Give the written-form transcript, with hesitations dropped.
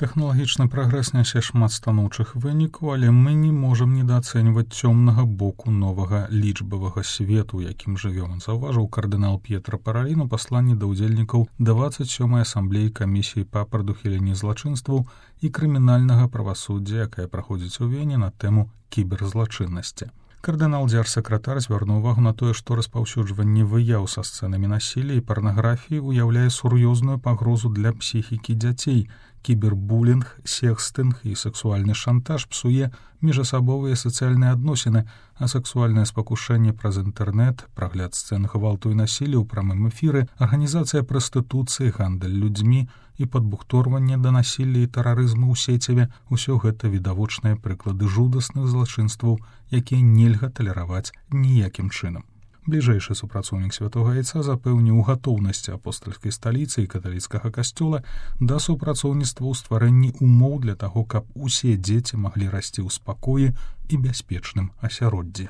Тэхналагічны прагрэс нясе шмат станоўчых вынікаў, але мы не можам недаацэньваць цёмнага боку новага лічбавага свету, якім жывём, заўважыў кардынал П'етра Паралін у пасланні да ўдзельнікаў 27-й асамблеі камісіі па прадухіленні злачынстваў і крымінальнага правасуддзя, якая праходзіць у Вене на тэму кіберзлачыннасці. Кардынал дзяржсакратар звярнуў увагу на тое, што распаўсюджванне выяў са сцэнамі насілля і парнаграфіі ўяўляе сур'ёзную пагрозу для псіхікі дзяцей. Кібербулінг, секстынг і сексуальны шантаж псуе міжасабовыя сацыяльныя адносіны, а сексуальнае спакушэнне праз інтэрнэт, прагляд сцэн гвалту і насілля ў прамым эфіры, арганізацыя прастытуцыі, гандаль людзьмі і падбухторванне да насілля і тэрарызму ў сеціве – усё гэта відавочныя прыклады жудасных злачынстваў, якія нельга талераваць ніякім чынам. Бліжэйшы супрацоўнік Святога Яйца запэўніў гатоўнасці апостальскай сталіцы і каталіцкага касцёла да супрацоўніцтва ў стварэнні умоў для таго, каб усе дзеці маглі расці ў спакоі і бяспечным асяроддзі.